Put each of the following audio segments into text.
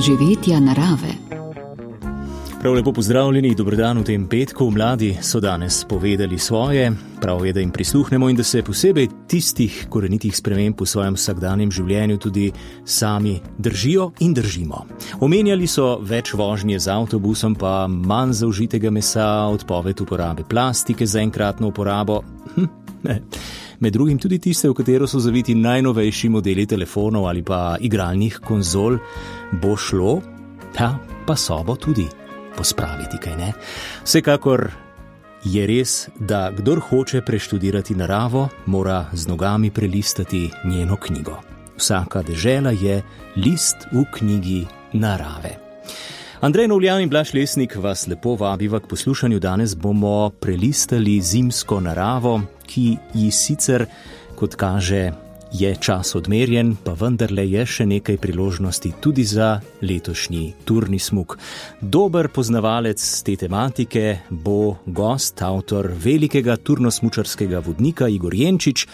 doživetja narave. Prav lepo pozdravljeni, dobrodan v tem petku. Mladi so danes povedali svoje, prav je, da jim prisluhnemo in da se posebej tistih korenitih sprememb v svojem vsakdanjem življenju tudi sami držijo in držimo. Omenjali so več vožnje z avtobusom, pa manj zaužitega mesa, odpoved uporabe plastike za enkratno uporabo. Med drugim tudi tiste, v katero so zaviti najnovejši modeli telefonov ali pa igralnih konzol, bo šlo, pa sobo tudi pospraviti, kaj ne? Vsekakor je res, da kdor hoče preštudirati naravo, mora z nogami prelistati njeno knjigo. Vsaka dežela je list v knjigi narave. Andrej Novljan in Blaž Lesnik vas lepo vabiva k poslušanju. Danes bomo prelistali zimsko naravo, ki ji sicer, kot kaže, je čas odmerjen, pa vendarle je še nekaj priložnosti tudi za letošnji turni smuk. Dober poznavalec te tematike bo gost, avtor velikega turnosmučarskega vodnika Igor Jenčič,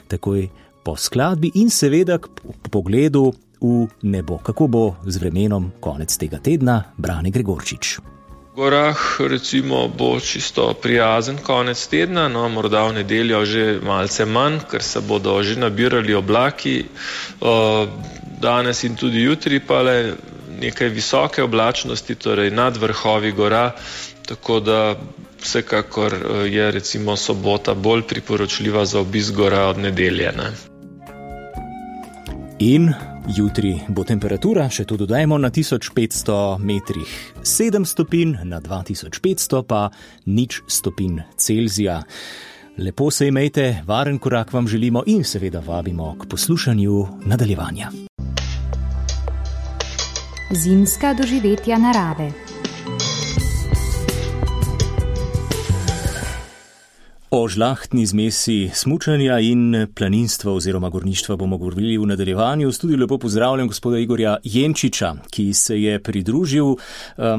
takoj po skladbi in seveda k pogledu v nebo. Kako bo z vremenom konec tega tedna? Brane Gregorčič. V gorah recimo bo čisto prijazen konec tedna, morda v nedeljo že malce manj, ker se bodo že nabirali oblaki. Danes in tudi jutri pa le nekaj visoke oblačnosti, torej nad vrhovi gora, tako da vsekakor je recimo sobota bolj priporočljiva za obisk gora od nedelje. In jutri bo temperatura, še to dodajmo, na 1500 metrih 7 stopinj, na 2500 pa 0 stopinj Celzija. Lepo se imejte, varen korak vam želimo in seveda vabimo k poslušanju nadaljevanja. Zimska doživetja narave. O žlahtni zmesi smučanja in planinstva oziroma gorništva bomo govorili v nadaljevanju. V studiu lepo pozdravljam gospoda Igorja Jenčiča, ki se je pridružil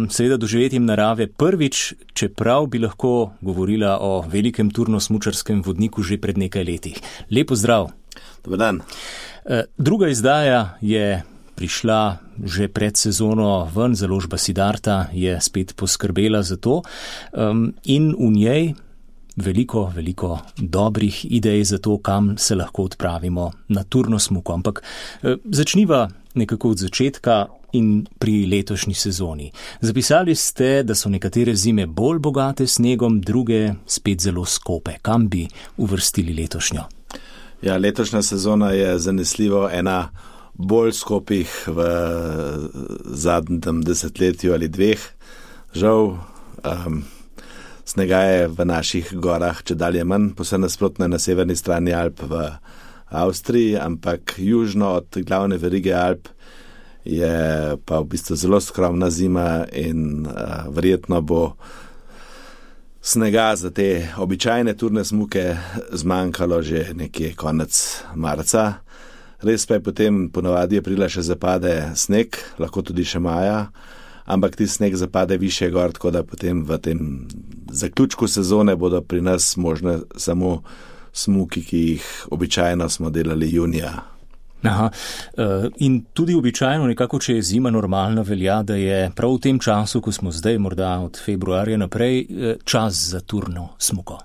seveda doživetjem narave prvič, čeprav bi lahko govorila o velikem turnosmučarskem vodniku že pred nekaj letih. Lep pozdrav. Dobar dan. Druga izdaja je prišla že pred sezono ven, založba Siddharta je spet poskrbela za to in v njej veliko dobrih idej za to, kam se lahko odpravimo na turno smuko. Ampak začniva nekako od začetka in pri letošnji sezoni. Zapisali ste, da so nekatere zime bolj bogate snegom, druge spet zelo skope. Kam bi uvrstili letošnjo? Ja, letošnja sezona je zanesljivo ena bolj skopih v zadnjem desetletju ali dveh. Žal, snega je v naših gorah čedalje manj, posebno nasprotno na severni strani Alp v Avstriji, ampak južno od glavne verige Alp je pa v bistvu zelo skromna zima in verjetno bo snega za te običajne turne smuke zmanjkalo že nekje konec marca. Res pa je potem ponavadi aprila še zapade sneg, lahko tudi še maja, ampak ti sneg zapade više gor, tako da potem v tem zaključku sezone bodo pri nas možne samo smuki, ki jih običajno smo delali junija. Aha, in tudi običajno nekako, če je zima normalna, velja, da je prav v tem času, ko smo zdaj, morda od februarja naprej, čas za turno smuko.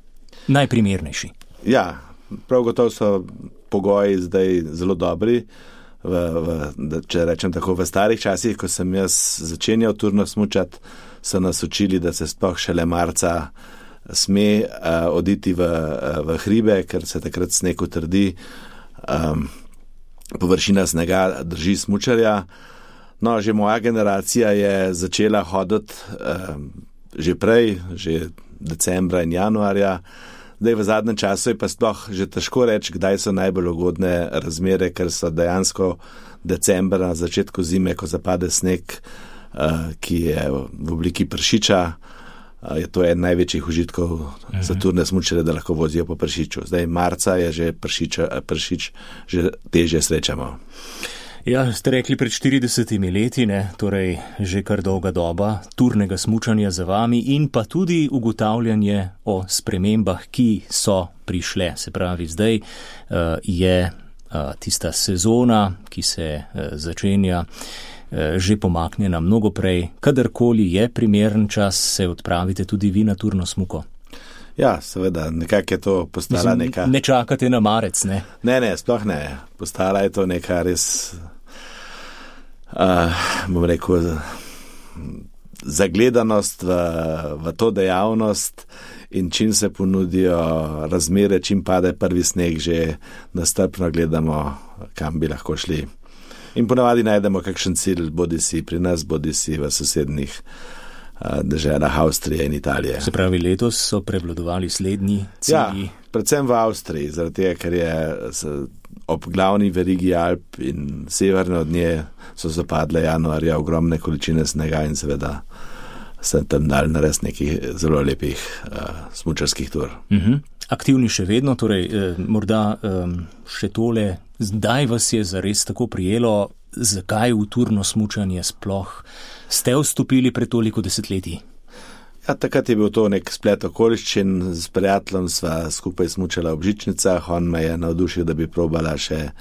Najprimernejši. Ja, prav gotovo so pogoji zdaj zelo dobri. Če rečem tako, v starih časih, ko sem jaz začenjal turno smučati, so nas učili, da se sploh šele marca sme oditi v hribe, ker se takrat sneg utrdi, površina snega drži smučarja. No, že moja generacija je začela hoditi že prej, že decembra in januarja. Zdaj v zadnjem času je pa sploh že težko reči, kdaj so najbolj ugodne razmere, ker so dejansko decembra na začetku zime, ko zapade sneg, ki je v obliki pršiča, je to en največjih užitkov za turne smučarje, da lahko vozijo po pršiču. Zdaj marca je že pršič že težje srečamo. Ja, ste rekli pred 40 leti, ne? Torej že kar dolga doba turnega smučanja za vami in pa tudi ugotavljanje o spremembah, ki so prišle. Se pravi, zdaj je tista sezona, ki se začenja že pomaknjena mnogo prej. Kadarkoli je primeren čas, se odpravite tudi vi na turno smuko. Ja, seveda, nekako je to postala neka... Ne čakate na marec, ne? Ne, sploh ne. Postala je to neka res, bom rekel, zagledanost v to dejavnost in čim se ponudijo razmere, čim pade prvi sneg, že nastrpno gledamo, kam bi lahko šli. In ponavadi najdemo kakšen cilj, bodi si pri nas, bodi si v sosednjih deželah Avstrije in Italije. Se pravi, letos so prevladovali slednji cilji? Ja, predvsem v Avstriji, zaradi tega, ker je ob glavni verigi Alp in severne od nje so zapadle januarja ogromne količine snega in seveda se tam dali narediti nekih zelo lepih smučarskih tur. Aktivni še vedno, torej morda še tole, zdaj vas je zares tako prijelo, zakaj v turno smučanje sploh ste vstopili pred toliko desetletji? Ja, takrat je bil to nek splet okoliščin, s prijateljem sva skupaj smučala v Žičnicah, on me je navdušil, da bi probala še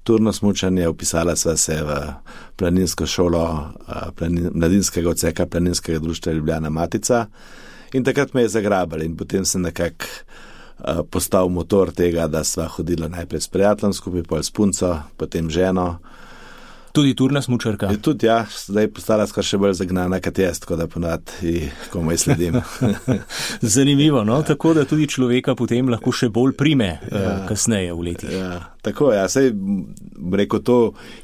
turno smučanje, upisala sva se v planinsko šolo mladinskega odseka Planinskega društva Ljubljana Matica in takrat me je zagrabali in potem sem nekako postal motor tega, da sva hodila najprej s prijateljem skupaj, pol s punco, potem ženo. Tudi turna smučarka? Tudi ja, zdaj postala skoraj še bolj zagnana kot jaz, tako da ponavadi komaj sledim. Zanimivo, no? Tako da tudi človeka potem lahko še bolj prime kasneje v letih. Ja, tako, ja, saj rekel to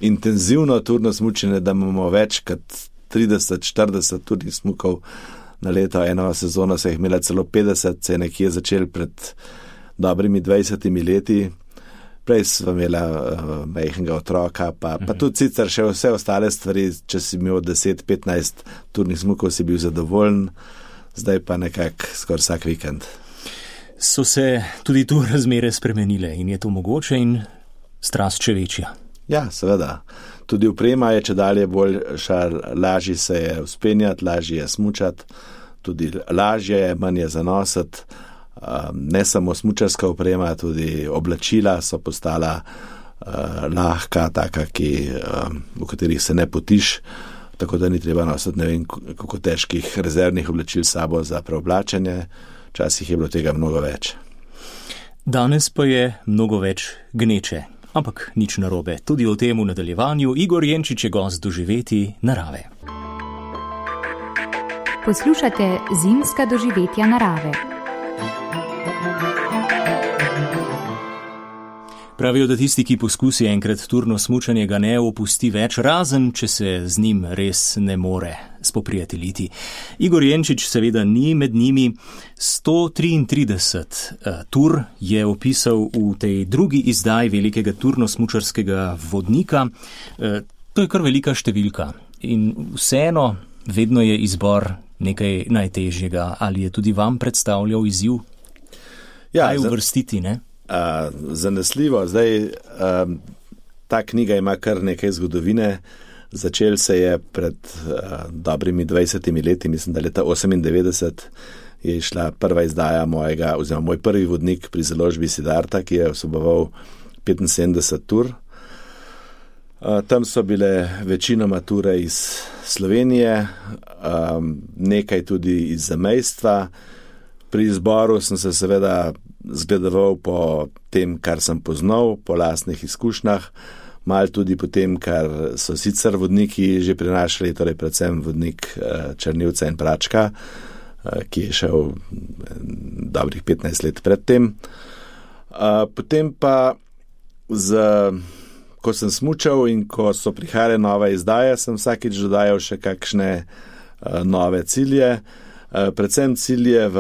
intenzivno turno smučenje, da imamo več kot 30-40 turnih smukov na leto, eno sezono se jih imela celo 50, se je nekje začel pred dobrimi 20 leti. Prej sva imela majhnega otroka, pa tudi sicer še vse ostale stvari, če si imel 10-15 turnih smukov, si bil zadovoljen, zdaj pa nekako skoraj vsak vikend. So se tudi tu razmere spremenile in je to mogoče in strast še večja? Ja, seveda. Tudi oprema je čedalje boljša, lažje se je vzpenjati, lažje je smučati, tudi lažje je, manj je zanositi. Ne samo smučarska oprema, tudi oblačila so postala lahka, taka, v katerih se ne potiš, tako da ni treba nositi ne vem kako težkih rezervnih oblačil sabo za preoblačenje. Včasih je bilo tega mnogo več. Danes pa je mnogo več gneče, ampak nič narobe. Tudi o tem v nadaljevanju. Igor Jenčič je gost Doživeti narave. Poslušate Zimska doživetja narave. Pravijo, da tisti, ki poskusi enkrat turno smučanje, ga ne opusti več, razen če se z njim res ne more spoprijateljiti. Igor Jenčič seveda ni med njimi. 133 tur je opisal v tej drugi izdaji velikega turno-smučarskega vodnika. To je kar velika številka in vseeno vedno je izbor nekaj najtežjega. Ali je tudi vam predstavljal izziv? Ja, kaj uvrstiti, ne? Zanesljivo. Zdaj, ta knjiga ima kar nekaj zgodovine. Začel se je pred dobrimi 20 leti, mislim, da leta 98 je išla prva izdaja moj prvi vodnik pri založbi Siddharta, ki je vseboval 75 tur. Tam so bile večinoma ture iz Slovenije, nekaj tudi iz zamejstva. Pri izboru sem se seveda zgledoval po tem, kar sem poznal, po lastnih izkušnjah, malo tudi po tem, kar so sicer vodniki že prinašali, torej predvsem vodnik Črnivca in Pračka, ki je šel dobrih 15 let pred tem. Potem pa, ko sem smučal in ko so prihajale nove izdaje, sem vsakič dodajal še kakšne nove cilje, predvsem cilje v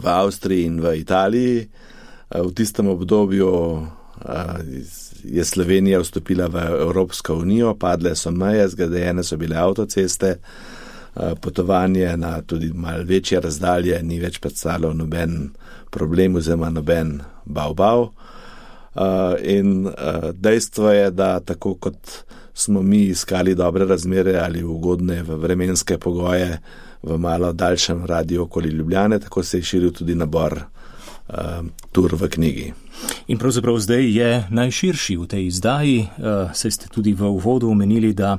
Avstriji in v Italiji. V tistem obdobju je Slovenija vstopila v Evropsko unijo, padle so meje, zgrajene so bile avtoceste, potovanje na tudi malo večje razdalje ni več predstavljalo noben problem oziroma noben bav. In dejstvo je, da tako kot smo mi iskali dobre razmere ali ugodne vremenske pogoje v malo daljšem radiju okoli Ljubljane, tako se je širil tudi nabor tur v knjigi. In pravzaprav zdaj je najširši v tej izdaji, saj ste tudi v uvodu omenili, da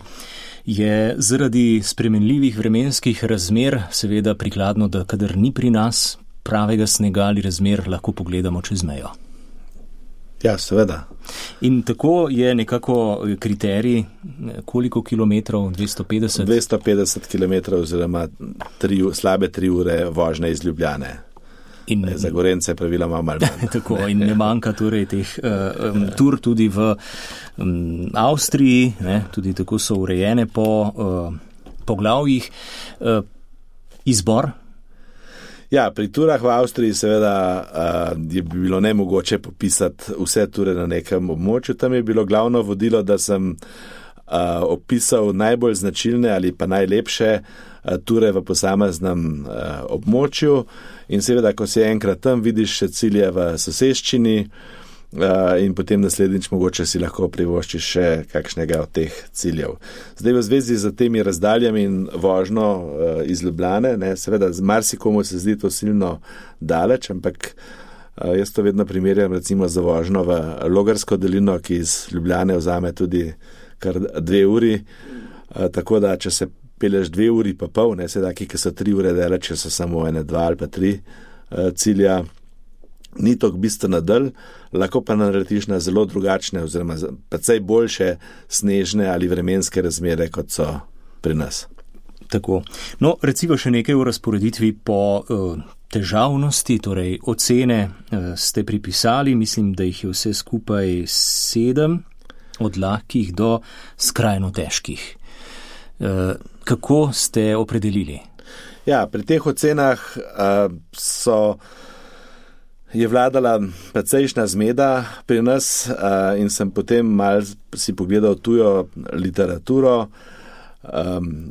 je zaradi spremenljivih vremenskih razmer seveda prikladno, da kadar ni pri nas pravega snega ali razmer, lahko pogledamo čez mejo. Ja, seveda. In tako je nekako kriterij, koliko kilometrov, 250? 250 kilometrov oziroma slabe 3 ure vožnje iz Ljubljane. Za Gorence praviloma malo manj. Tako, in ne manjka torej teh tur tudi v Avstriji, ne, tudi tako so urejene po poglavjih. Izbor? Ja, pri turah v Avstriji seveda je bilo nemogoče popisati vse ture na nekem območju. Tam je bilo glavno vodilo, da sem opisal najbolj značilne ali pa najlepše ture v posameznem območju. In seveda, ko si enkrat tam, vidiš še cilje v soseščini in potem naslednjič mogoče si lahko privoščiš še kakšnega od teh ciljev. Zdaj v zvezi z temi razdaljami in vožnjo iz Ljubljane, ne, seveda z marsikomu se zdi to silno daleč, ampak jaz to vedno primerjam recimo za vožnjo v Logarsko dolino, ki iz Ljubljane vzame tudi kar 2 uri, tako da če se peleš 2 uri pa pol, ne, sedaj, ki so 3 ure daleč, če so samo 1, 2 ali pa 3 cilja, ni toliko bistveno dalj, lahko pa narediš na zelo drugačne oziroma precej boljše snežne ali vremenske razmere, kot so pri nas. Tako. No, recimo še nekaj o razporeditvi po težavnosti, torej ocene ste pripisali, mislim, da jih je vse skupaj 7, od lahkih do skrajno težkih. Kako ste opredelili? Ja, pri teh ocenah je vladala precejšnja zmeda pri nas in sem potem mal si pogledal tujo literaturo,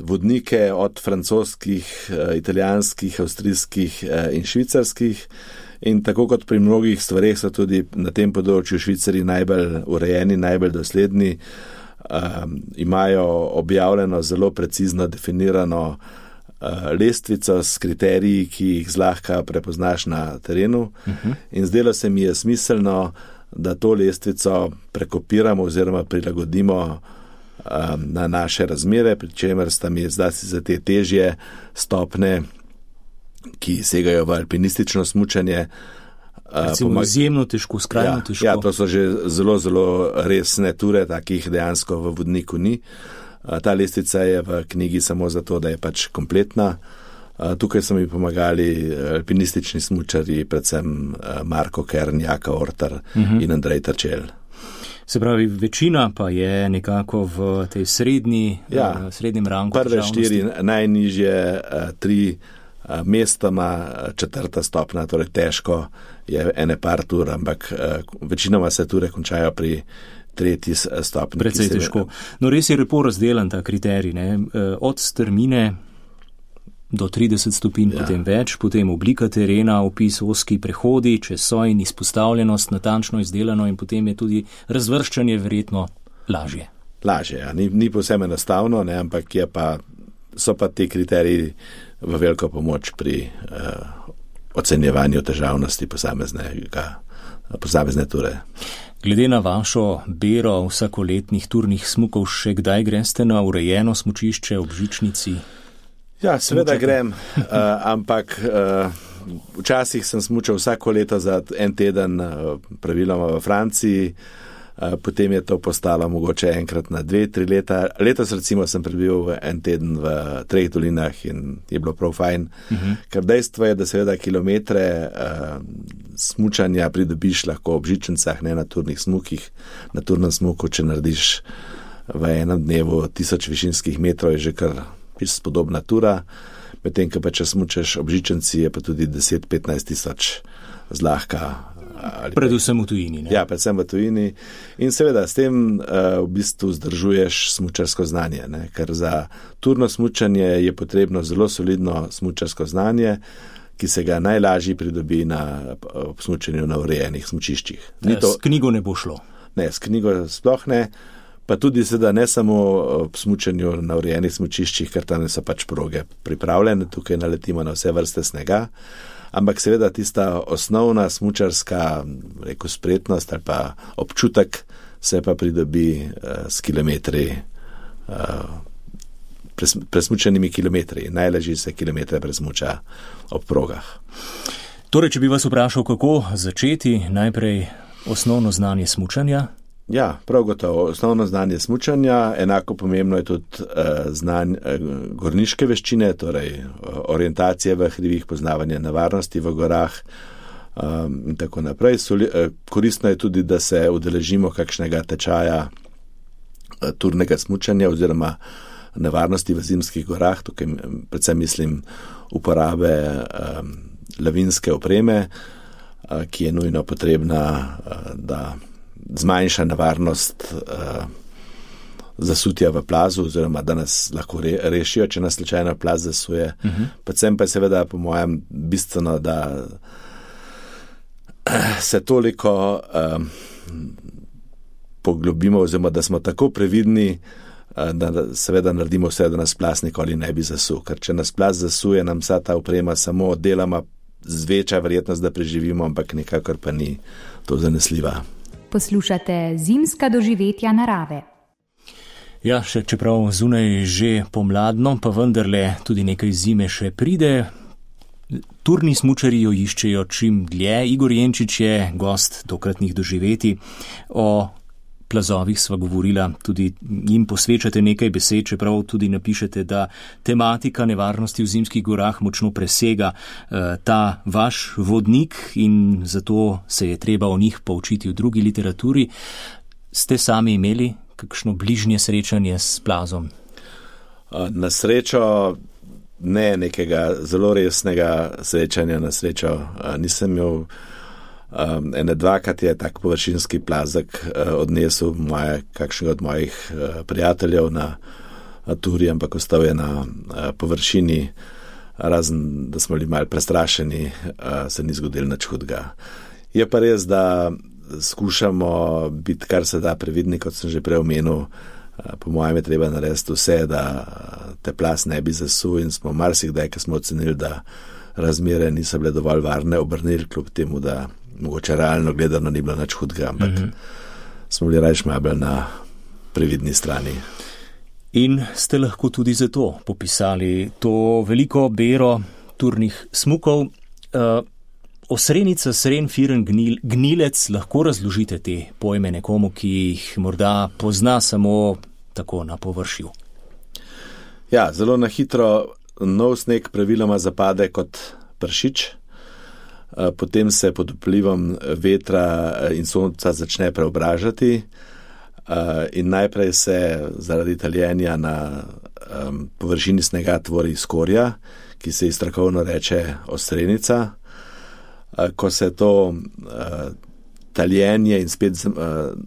vodnike od francoskih, italijanskih, avstrijskih in švicarskih. In tako kot pri mnogih stvareh so tudi na tem področju Švicari najbolj urejeni, najbolj dosledni, imajo objavljeno zelo precizno definirano lestvico s kriteriji, ki jih zlahka prepoznaš na terenu. In zdelo se mi je smiselno, da to lestvico prekopiramo oziroma prilagodimo na naše razmere, pri čemer sta mi zdaj za te težje stopne, ki segajo v alpinistično smučanje. Izjemno težko, skrajno težko. Ja, to so že zelo, zelo resne ture, takih dejansko v vodniku ni. Ta lestvica je v knjigi samo zato, da je pač kompletna. Tukaj so mi pomagali alpinistični smučarji, predvsem Marko Kern, Jaka Ortar in Andrej Trčel. Se pravi, večina pa je nekako v tej srednjem rangu. Prve 4 najnižje, 3 mestoma, 4. stopna, torej težko je ene par tur, ampak večinoma se ture končajo pri 3. stopni. Precej težko. No, res je lepo razdelan ta kriterij, ne? Od strmine do 30 stopinj, potem več, potem oblika terena, opis oski prehodi, čez sojn, izpostavljenost, natančno izdelano in potem je tudi razvrščanje verjetno lažje. Lažje, ja. Ni povsem enostavno, ne, ampak so pa ti kriteriji v veliko pomoč pri ocenjevanju težavnosti posamezne ture. Glede na vašo bero vsakoletnih turnih smukov, še kdaj greste na urejeno smučišče ob žičnici? Ja, seveda grem, ampak včasih sem smučal vsako leto za 1 teden, praviloma v Franciji, potem je to postalo mogoče enkrat na 2-3 leta. Letos recimo sem prebil 1 teden v 3 dolinah in je bilo prav fajn, ker dejstvo je, da seveda kilometre smučanja pridobiš lahko ob žičnicah, ne na turnih smukih. Na turnem smuku, če narediš v enem dnevu 1000 višinskih metrov, je že kar spodobna tura, medtem ko pa če smučaš ob žičnici, je pa tudi 10-15 tisoč zlahka. Predvsem v tujini. Ne? Ja, predvsem v tujini. In seveda s tem v bistvu zdržuješ smučarsko znanje, ne? Ker za turno smučanje je potrebno zelo solidno smučarsko znanje, ki se ga najlažje pridobi ob smučanju na urejenih smučiščih. S knjigo ne bo šlo? Ne, s knjigo sploh ne, pa tudi seveda ne samo ob smučanju na urejenih smučiščih, ker tam so pač proge pripravljene, tukaj naletimo na vse vrste snega, ampak seveda tista osnovna smučarska spretnost ali pa občutek se pa pridobi s kilometri, presmučenimi kilometri. Najlažje se kilometre presmuča ob progah. Torej, če bi vas vprašal, kako začeti, najprej osnovno znanje smučanja? Ja, prav gotovo. Osnovno znanje smučanja, enako pomembno je tudi gorniške veščine, torej orientacije v hribih, poznavanje nevarnosti v gorah in tako naprej. Koristno je tudi, da se udeležimo kakšnega tečaja turnega smučanja oziroma nevarnosti v zimskih gorah. Tukaj predvsem mislim uporabe lavinske opreme, ki je nujno potrebna, da zmanjša nevarnost zasutja v plazu oziroma da nas lahko rešijo, če nas slučajno plaz zasuje. Predvsem pa je seveda po mojem bistveno, da se toliko poglobimo oziroma da smo tako previdni, da seveda naredimo vse, da nas plaz nikoli ne bi zasul. Ker če nas plaz zasuje, nam vsa ta oprema samo deloma zveča verjetnost, da preživimo, ampak nikakor pa ni to zanesljiva. Poslušate Zimska doživetja narave. Ja, še čeprav zunaj že pomladno, pa vendarle tudi nekaj zime še pride. Turni smučarji jo iščejo čim dlje. Igor Jenčič je gost tokratnih doživetij. O plazovih sva govorila, tudi jim posvečate nekaj besed, čeprav tudi napišete, da tematika nevarnosti v zimskih gorah močno presega ta vaš vodnik in zato se je treba o njih poučiti v drugi literaturi. Ste sami imeli kakšno bližnje srečanje s plazom? Na srečo ne nekega zelo resnega srečanja, na srečo nisem imel. Ene dvakrat je tak površinski plazek odnesel kakšnega od mojih prijateljev na turi, ampak ostal je na površini, razen da smo bili malo prestrašeni, se ni zgodilo nič hudega. Je pa res, da skušamo biti kar se da previdni, kot sem že prej omenil. Po mojem je treba narediti vse, da te plaz ne bi zasul in smo marsikdaj, ko smo ocenili, da razmere niso bile dovolj varne, obrnili kljub temu, da mogoče realno gledano ni bilo nič hudega, ampak smo bili rajš malo na previdni strani. In ste lahko tudi zato popisali to veliko bero turnih smukov. Osrenica, sren, firen, gnilec, lahko razložite te pojme nekomu, ki jih morda pozna samo tako na površju? Ja, zelo na hitro nov sneg praviloma zapade kot pršič. Potem se pod vplivom vetra in sonca začne preobražati in najprej se zaradi taljenja na površini snega tvori skorja, ki se ji strokovno reče osrenica. Ko se to taljenje in spet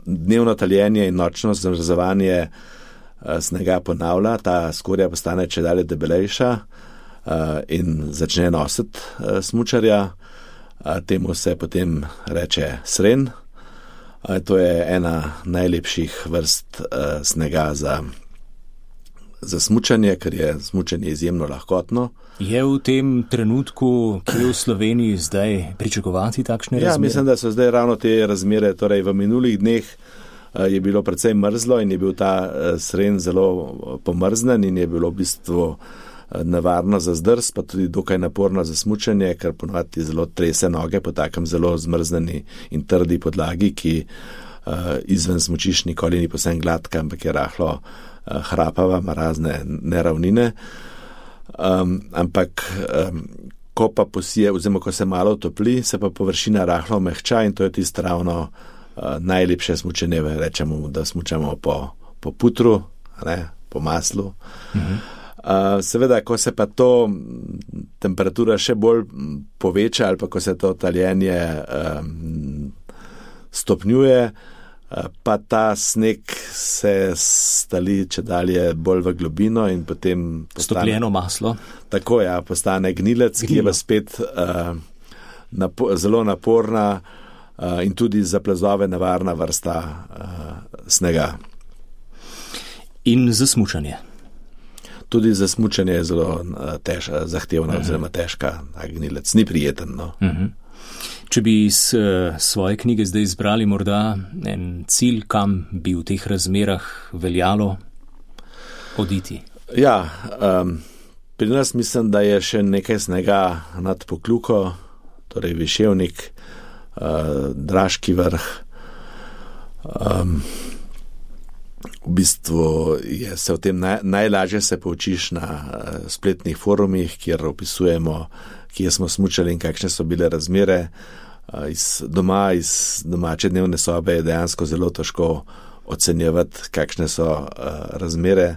dnevno taljenje in nočno zamrzovanje snega ponavlja, ta skorja postane čedalje debelejša in začne nositi smučarja. Temu se potem reče sren. To je ena najlepših vrst snega za smučanje, ker je smučanje izjemno lahkotno. Je v tem trenutku, ki je v Sloveniji zdaj, pričakovati takšne razmere? Ja, mislim, da so zdaj ravno te razmere. Torej, v minulih dneh je bilo precej mrzlo in je bil ta sren zelo pomrznen in je bilo v bistvu nevarno za zdrs, pa tudi dokaj naporno za smučanje, ker ponovadi zelo trese noge po takem zelo zmrzneni in trdi podlagi, ki izven smučišč nikoli ni povsem gladka, ampak je rahlo hrapava, ima razne neravnine. Ampak ko pa posije, oziroma ko se malo topli, se pa površina rahlo mehča in to je tisto ravno najlepše smučanje, rečemo, da smučamo po putru, ne, po maslu. Seveda, ko se pa to temperatura še bolj poveča ali pa ko se to taljenje stopnjuje, pa ta sneg se stali čedalje bolj v globino in potem stopljeno maslo. Tako, ja, postane gnilec, ki je pa spet zelo naporna in tudi za plazove nevarna vrsta snega. In za smučanje? Tudi za smučanje je zelo zahtevna oziroma težka, gnilec ni prijeten. No. Če bi iz svoje knjige zdaj izbrali morda en cilj, kam bi v teh razmerah veljalo oditi? Ja, pri nas mislim, da je še nekaj snega nad Pokljuko, torej Viševnik, Draški vrh. V bistvu je se o tem najlažje se poučiš na spletnih forumih, kjer opisujemo, kje smo smučali in kakšne so bile razmere. Iz domače dnevne sobe je dejansko zelo težko ocenjevati, kakšne so razmere.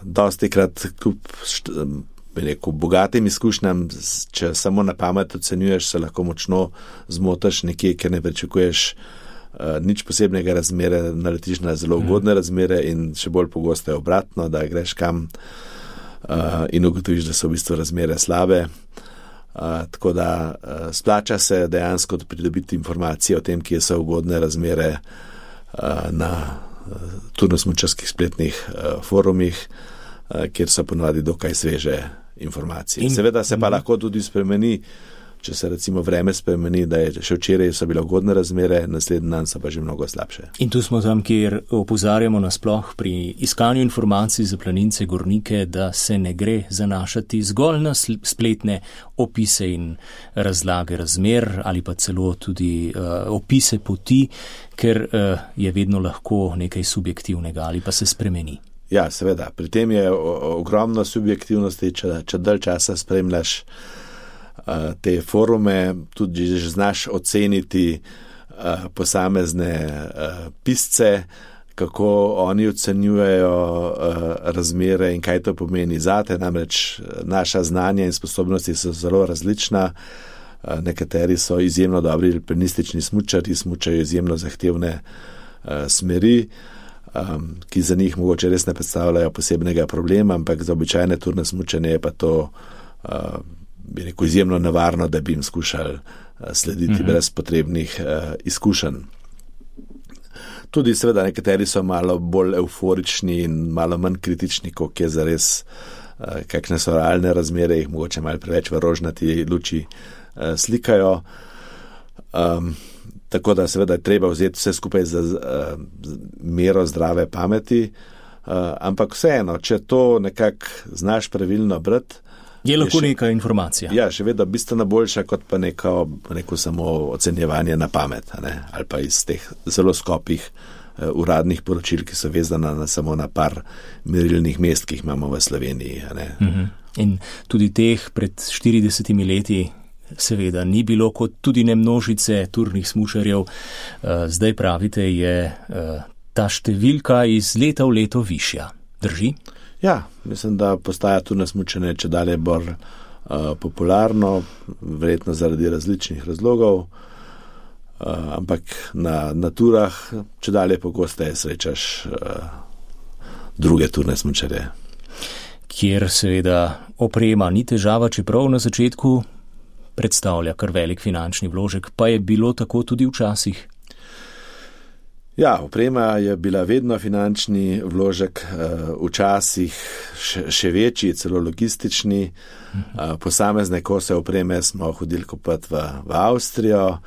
Dostikrat kljub bogatim izkušnjam, če samo na pamet ocenjuješ, se lahko močno zmotaš nekje, ker ne pričakuješ nič posebnega razmere, naletiš na zelo ugodne razmere in še bolj pogosto je obratno, da greš kam in ugotoviš, da so v bistvu razmere slabe. Tako da splača se dejansko pridobiti informacije o tem, kje so ugodne razmere na turno-smučarskih spletnih forumih, kjer so ponovadi dokaj sveže informacije. Seveda se pa lahko tudi spremeni, če se recimo vreme spremeni, da je še včeraj so bile ugodne razmere, naslednji dan so pa že mnogo slabše. In tu smo tam, kjer opozarjamo nasploh pri iskanju informacij za planince, gornike, da se ne gre zanašati zgolj na spletne opise in razlage razmer ali pa celo tudi opise poti, ker je vedno lahko nekaj subjektivnega ali pa se spremeni. Ja, seveda. Pri tem je ogromno subjektivnosti, če dalj časa spremljaš te forume, tudi že znaš oceniti posamezne pisce, kako oni ocenjujejo razmere in kaj to pomeni zate, namreč naša znanja in sposobnosti so zelo različna. Nekateri so izjemno dobri alpinistični smučarji, smučajo izjemno zahtevne smeri, ki za njih mogoče res ne predstavljajo posebnega problema, ampak za običajne turne smučanje je pa to bi rekel izjemno nevarno, da bi jim skušali slediti brez potrebnih izkušenj. Tudi seveda nekateri so malo bolj euforični in malo manj kritični, kot je zares, kakšne so realne razmere, jih mogoče malo preveč v rožnati luči slikajo. Tako da seveda je treba vzeti vse skupaj za mero zdrave pameti, ampak vseeno, če to nekako znaš pravilno brati, je lahko neka informacija. Ja, še vedno bistveno boljša, kot pa neko samo ocenjevanje na pamet, ali pa iz teh zelo skopih uradnih poročil, ki so vezana samo na par merilnih mest, ki jih imamo v Sloveniji. In tudi teh pred 40 leti seveda ni bilo, kot tudi ne množice turnih smučarjev. Zdaj pravite, je ta številka iz leta v leto višja. Drži? Ja, mislim, da postaja turno smučanje čedalje bolj popularno, verjetno zaradi različnih razlogov, ampak na turah čedalje pogosteje srečaš druge turne smučarje. Kjer seveda oprema ni težava, čeprav na začetku predstavlja kar velik finančni vložek, pa je bilo tako tudi včasih. Ja, oprema je bila vedno finančni vložek, včasih še večji, celo logistični. Posamezne kose opreme smo hodili kupiti v Avstrijo,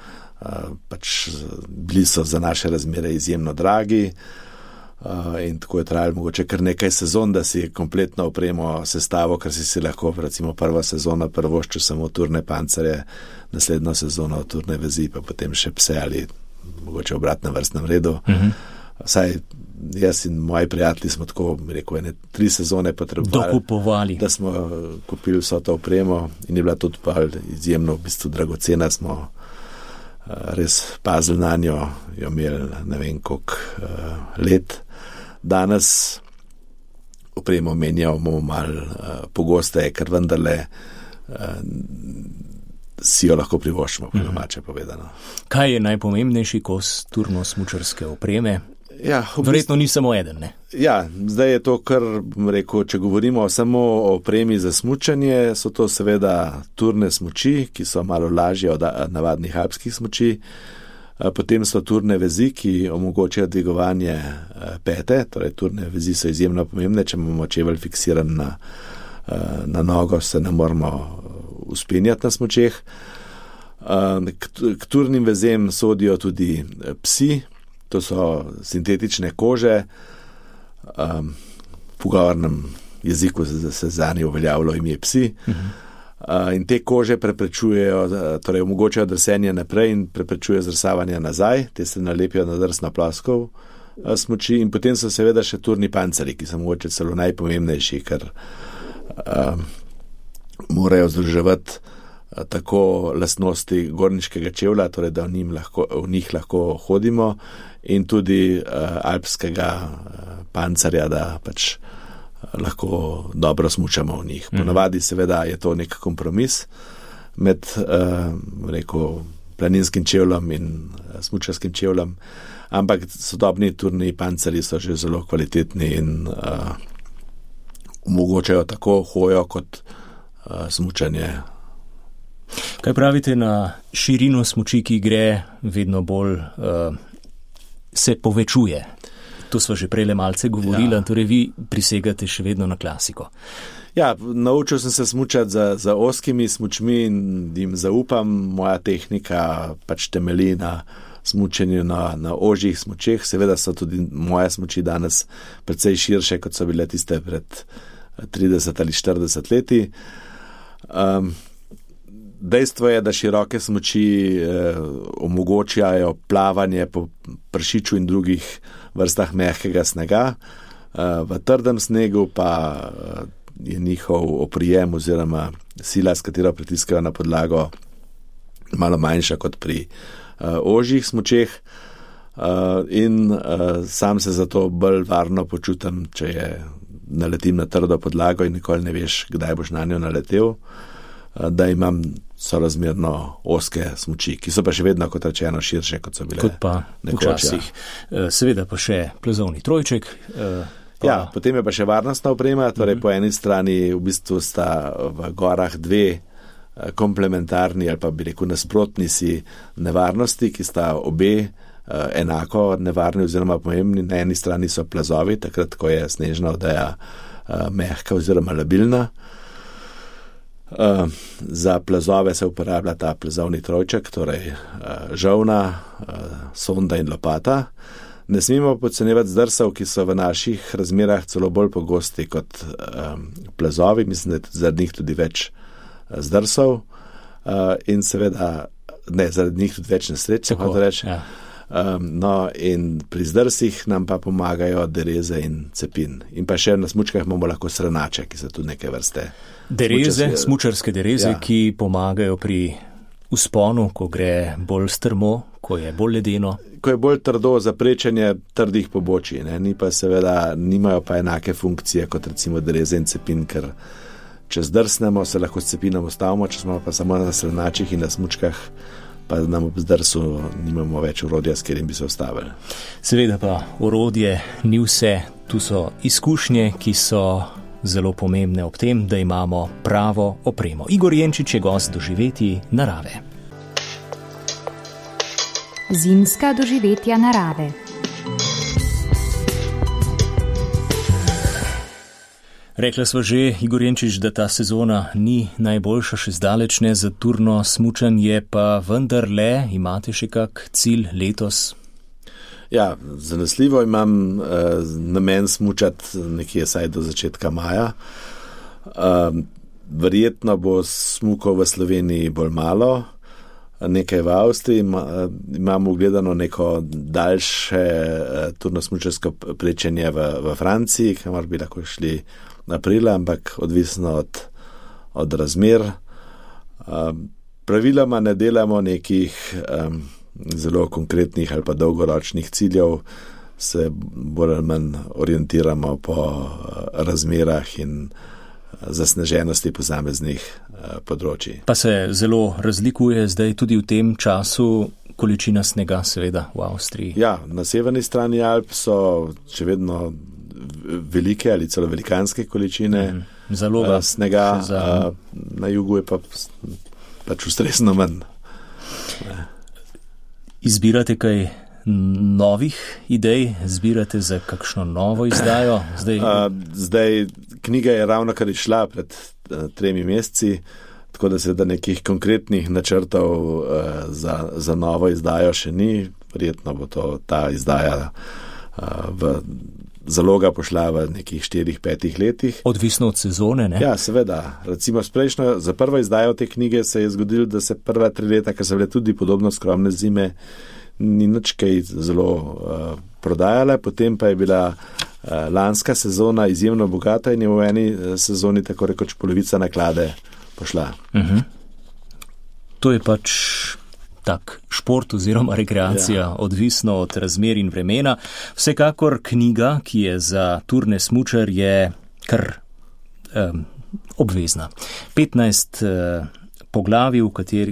pač bili so za naše razmere izjemno dragi in tako je trajalo mogoče kar nekaj sezon, da si kompletno opremo sestavo, ker si lahko recimo prva sezona prvoščil samo turne pancerje, naslednjo sezono turne vezi, pa potem še pse ali mogoče v obratnem vrstnem redu. Saj jaz in moji prijatelji smo tako, rekel, 3 sezone potrebovali, da smo kupili vso to opremo in je bila tudi pa izjemno v bistvu dragocena, smo res pazili na njo, jo imeli ne vem koliko let. Danes opremo menjamo malo pogosteje, ker vendarle si jo lahko privoščimo, po domače povedano. Kaj je najpomembnejši kos turno-smučarske opreme? Ja, verjetno ni samo eden, ne? Ja, zdaj je to, kar rekel, če govorimo samo o opremi za smučanje, so to seveda turne smuči, ki so malo lažje od navadnih alpskih smuči. Potem so turne vezi, ki omogočajo dvigovanje pete, torej turne vezi so izjemno pomembne, če imamo čevelj fiksiran na nogo, se ne moramo uspenjati na smučeh. K turnim vezem sodijo tudi psi, to so sintetične kože, v pogovornem jeziku se zanje uveljavilo ime psi. In te kože preprečujejo, torej omogočajo drsenje naprej in preprečujejo zrsavanje nazaj, te se nalepijo na drsno ploskov smuči in potem so seveda še turni panceri, ki so mogoče celo najpomembnejši, ker morajo združevati tako lastnosti gorniškega čevlja, torej da v njih lahko hodimo in tudi alpskega pancerja, da pač lahko dobro smučamo v njih. Ponavadi seveda je to nek kompromis med planinskim čevljem in smučarskim čevljem, ampak sodobni turni pancerji so že zelo kvalitetni in omogočajo tako hojo kot smučanje. Kaj pravite na širino smuči, ki gre vedno bolj se povečuje? To smo že prej malce govorili, torej vi prisegate še vedno na klasiko. Ja, naučil sem se smučati za ozkimi smučmi in jim zaupam. Moja tehnika pač temelji na smučenju na ožjih smučeh. Seveda so tudi moje smuči danes precej širše, kot so bile tiste pred 30 ali 40 leti. Dejstvo je, da široke smuči omogočajo plavanje po pršiču in drugih vrstah mehkega snega. V trdem snegu pa je njihov oprijem oziroma sila, s katero pritiskajo na podlago, malo manjša kot pri ožjih smučeh. In sam se zato bolj varno počutim, če naletim na trdo podlago in nikoli ne veš, kdaj boš na njo naletel, da imam sorazmerno ozke smuči, ki so pa še vedno, kot rečeno, širše, kot so bile kot pa včasih. Seveda pa še plezovni trojček. Potem je pa še varnostna oprema, torej po eni strani v bistvu sta v gorah dve komplementarni ali pa bi rekel nasprotni si nevarnosti, ki sta obe enako nevarni oziroma pomembni. Na eni strani so plazovi, takrat, ko je snežna odeja mehka oziroma labilna. Za plazove se uporablja ta plezovni trojček, torej žolna, sonda in lopata. Ne smemo podcenjevati zdrsov, ki so v naših razmerah celo bolj pogosti kot plazovi. Mislim, da je zaradi njih tudi več zdrsov in seveda, zaradi njih tudi več nesreč, se hoče reči. Ja. In pri zdrsih nam pa pomagajo dereze in cepin. In pa še na smučkah imamo lahko srnače, ki so tudi neke vrste. Dereze, smučarske dereze, ki pomagajo pri vzponu, ko gre bolj strmo, ko je bolj ledeno. Ko je bolj trdo za prečenje trdih pobočij, ni pa seveda, nimajo pa enake funkcije kot recimo dereze in cepin, ker če zdrsnemo, se lahko s cepinom ustavimo, če smo pa samo na srnačih in na smučkah, pa nam ob zdrsu nimamo več orodja, s katerim bi se ustavili. Seveda pa orodje ni vse, tu so izkušnje, ki so zelo pomembne ob tem, da imamo pravo opremo. Igor Jenčič je gost doživetij narave. Zimska doživetja narave. Rekla sva že, Igor Jenčič, da ta sezona ni najboljša, še zdaleč ne za turno smučanje, pa vendarle imate še kak cilj letos? Ja, zanesljivo imam namen smučati nekje saj do začetka maja. Verjetno bo smukov v Sloveniji bolj malo, nekaj v Avstriji, imamo ugledano neko daljše turno-smučarsko prečenje v Franciji, kamor bi lahko šli aprila, ampak odvisno od razmer. Praviloma ne delamo nekih zelo konkretnih ali pa dolgoročnih ciljev, se bolj ali manj orientiramo po razmerah in zasneženosti posameznih področji. Pa se zelo razlikuje zdaj tudi v tem času količina snega, seveda, v Avstriji. Ja, na severni strani Alp so še vedno velike ali celo velikanske količine snega, na jugu je pač ustrezno manj. Izbirate kaj novih idej? Zbirate za kakšno novo izdajo? Zdaj knjiga je ravno kar išla pred 3 meseci, tako da seveda nekih konkretnih načrtov za novo izdajo še ni. Verjetno bo ta izdaja zaloga pošla v nekih 4-5 letih. Odvisno od sezone, ne? Ja, seveda. Recimo za prvo izdajo te knjige se je zgodilo, da se prva 3 leta, ker so bile tudi podobno skromne zime, ni nič kaj zelo prodajala. Potem pa je bila lanska sezona izjemno bogata in je v eni sezoni tako rekoč polovica naklade pošla. To je pač tak šport oziroma rekreacija, odvisno od razmer in vremena. Vsekakor knjiga, ki je za turne smučar, je kar obvezna. 15 poglavij,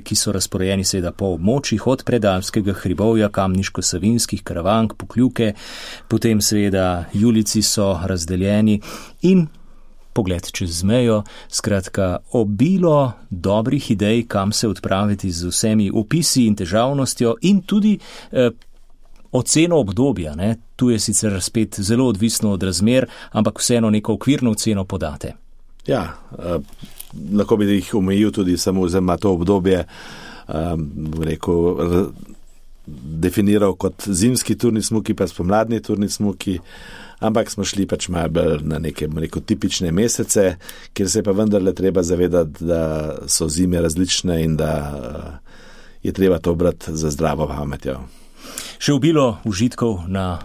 ki so razporejeni seveda po območjih, od Predalpskega hribovja, Kamniško-Savinjskih, Karavank, Pokljuke, potem seveda Julijci so razdeljeni in pogled čez mejo, skratka obilo dobrih idej, kam se odpraviti z vsemi opisi in težavnostjo in tudi oceno obdobja. Ne? Tu je sicer spet zelo odvisno od razmer, ampak vseeno neko okvirno oceno podate. Ja, lahko bi jih omejil tudi samo za to obdobje, definiral kot zimski turni smuki, pa spomladni turni smuki, ampak smo šli pač malo bolj na neke tipične mesece, kjer se je pa vendarle treba zavedati, da so zime različne in da je treba to brati za zdravo pametjo. Še obilo užitkov na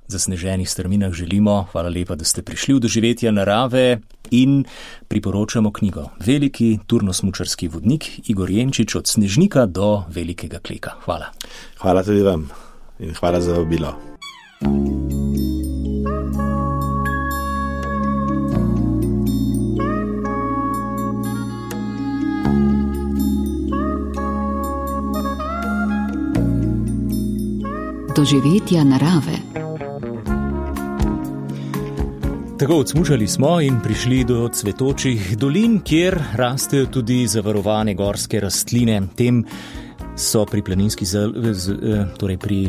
zasneženih strminah želimo. Hvala lepa, da ste prišli v Doživetja narave in priporočamo knjigo Veliki turnosmučarski vodnik Igor Jenčič od Snežnika do Velikega Kleka. Hvala. Hvala tudi vam in hvala za obilo. Doživetja narave. Tako odsmučali smo in prišli do cvetočih dolin, kjer rastejo tudi zavarovane gorske rastline. Tem so pri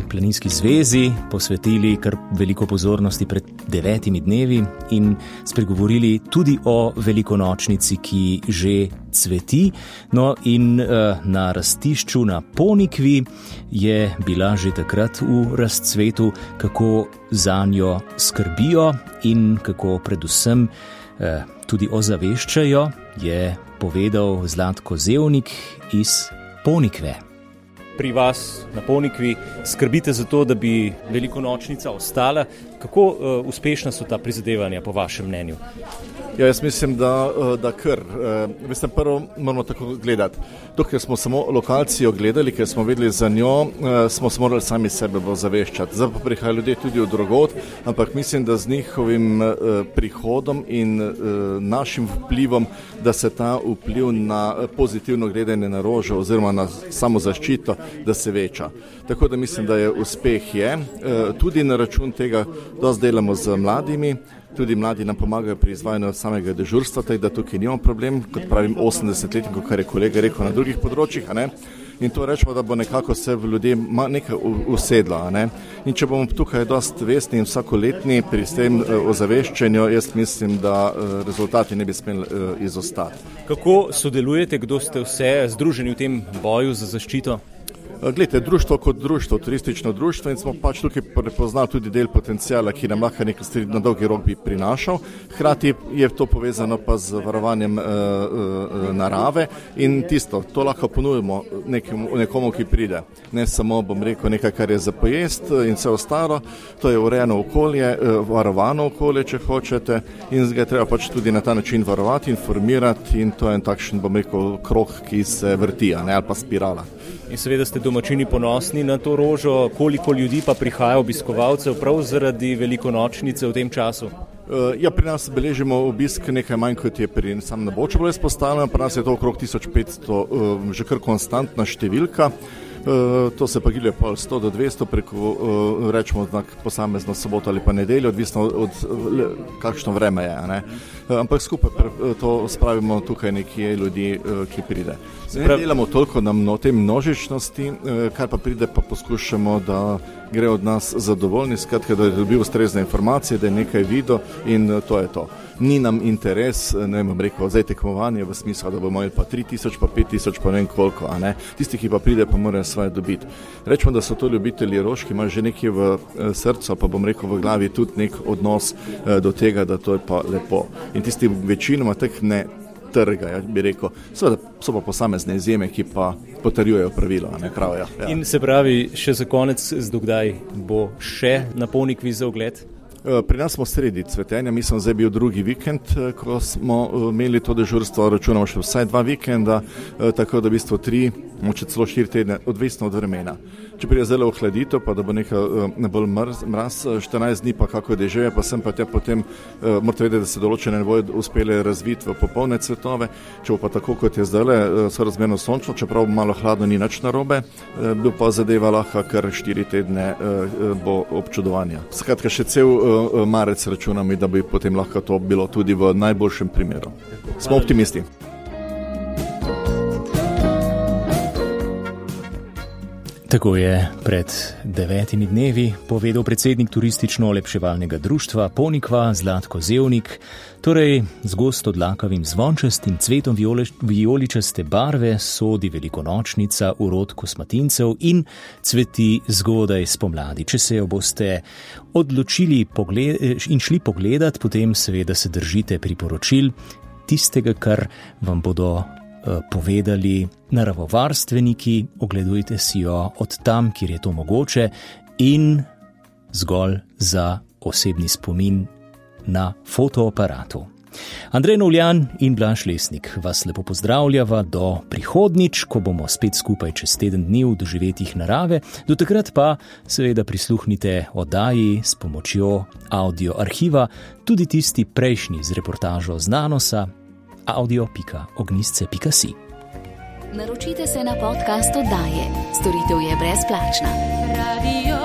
Planinski zvezi posvetili kar veliko pozornosti pred 9 dnevi in spregovorili tudi o velikonočnici, ki že cveti. No in na rastišču na Ponikvi je bila že takrat v razcvetu, kako zanjo skrbijo in kako predvsem tudi ozaveščajo, je povedal Zlatko Zevnik iz Ponikve. Pri vas na Ponikvi skrbite za to, da bi velikonočnica ostala. Kako uspešna so ta prizadevanja po vašem mnenju? Ja, jaz mislim, da kar. Mislim, prvo moramo tako gledati. Dokler smo samo lokacijo gledali, ker smo vedeli za njo, smo se morali sami sebe ozaveščati. Zdaj pa prihajajo ljudje tudi od drugod, ampak mislim, da z njihovim prihodom in našim vplivom, da se ta vpliv na pozitivno gledanje na rožo oziroma na samozaščito, da se veča. Tako da mislim, da je uspeh je. Tudi na račun tega dosti delamo z mladimi. Tudi mladi nam pomagajo pri izvajanju samega dežurstva, tako da tukaj nimamo problem, kot pravim 80-letnikov, kar je kolega rekel na drugih področjih. In to rečemo, da bo nekako se v ljudje nekaj usedlo. In če bomo tukaj dosti vestni in vsakoletni pri tem ozaveščanju, jaz mislim, da rezultati ne bi smeli izostati. Kako sodelujete, kdo ste vse združeni v tem boju za zaščito? Glejte, društvo kot društvo, turistično društvo, in smo pač tukaj prepoznali tudi del potencijala, ki nam lahko nekaj stvari na dolgi rok bi prinašal. Hkrati je to povezano pa z varovanjem narave in to lahko ponujemo nekomu, ki pride. Ne samo, bom rekel, nekaj, kar je za pojest in vse ostalo. To je urejeno okolje, varovano okolje, če hočete, in ga treba pač tudi na ta način varovati, informirati, in to je en takšen, bom rekel, krog, ki se vrti, ali pa spirala. In seveda ste domačini ponosni na to rožo. Koliko ljudi pa prihaja obiskovalcev prav zaradi velikonočnice v tem času? Ja, pri nas beležimo obisk nekaj manj, kot je pri sam na Boču bilo izpostavljeno. Pri nas je to okrog 1500, že kar konstantna številka. To se pa gilje pol 100 do 200 preko, rečemo, posamezno soboto ali pa nedeljo, odvisno od kakšno vreme je. Ne? Ampak skupaj to spravimo tukaj nekje ljudi, ki pride. Ne delamo toliko na te množičnosti, kar pa pride, pa poskušamo, da gre od nas zadovoljni, skratka, da je dobil ustrezne informacije, da je nekaj videl in to je to. Ni nam interes, ne bom rekel, zdaj tekmovanje v smislu, da bomo imeli pa 3000, pa 5000, pa ne vem koliko, a ne. Tisti, ki pa pride, pa morajo svoje dobiti. Rečemo, da so to ljubitelji rož, ki imajo že nekaj v srcu, pa bom rekel v glavi tudi nek odnos do tega, da to je pa lepo. In tisti večinoma teh ne trga, bi rekel. Seveda so pa posamezne izjeme, ki pa potrjujejo pravilo, ne pravijo. Ja. In se pravi, še za konec, zdokdaj bo še napolni kviz za ogled? Pri nas smo sredi cvetenja, mislim, zdaj bil drugi vikend, ko smo imeli to dežurstvo, računamo še vsaj 2 vikenda, tako da v bistvu 3, moče celo 4 tedne, odvisno od vremena. Če prije zelo ohladito, pa da bo nekaj bolj mraz, 14 dni pa kako dežeje, pa sem pa tja potem, morate vedeti, da se določene ne bojo uspele razviti v popolne cvetove, če bo pa tako, kot je zdaj, sorazmerno sončno, čeprav malo hladno ni nič narobe, bo pa zadeva lahko kar 4 tedne bo občudovanja. Skratka, še cel marec računami, da bi potem lahko to bilo tudi v najboljšem primeru. Smo optimisti. Tako je pred 9 dnevi povedal predsednik turistično-olepševalnega društva Ponikva Zlatko Zevnik, torej z gosto dlakavim zvončastim cvetom vijoličaste barve sodi velikonočnica, urod kosmatincev in cveti zgodaj spomladi. Če se jo boste odločili in šli pogledat, potem seveda se držite priporočil tistega, kar vam bodo povedali naravovarstveniki, ogledujte si jo od tam, kjer je to mogoče in zgolj za osebni spomin na fotoaparatu. Andrej Novljan in Blaž Lesnik vas lepo pozdravljava do prihodnič, ko bomo spet skupaj čez teden dni v doživetjih narave. Do takrat pa seveda prisluhnite oddaji s pomočjo audio arhiva, tudi tisti prejšnji z reportažo z Nanosa, audio.ognisce.si. Naročite se na podcast oddaje. Storitev je brezplačna. Radio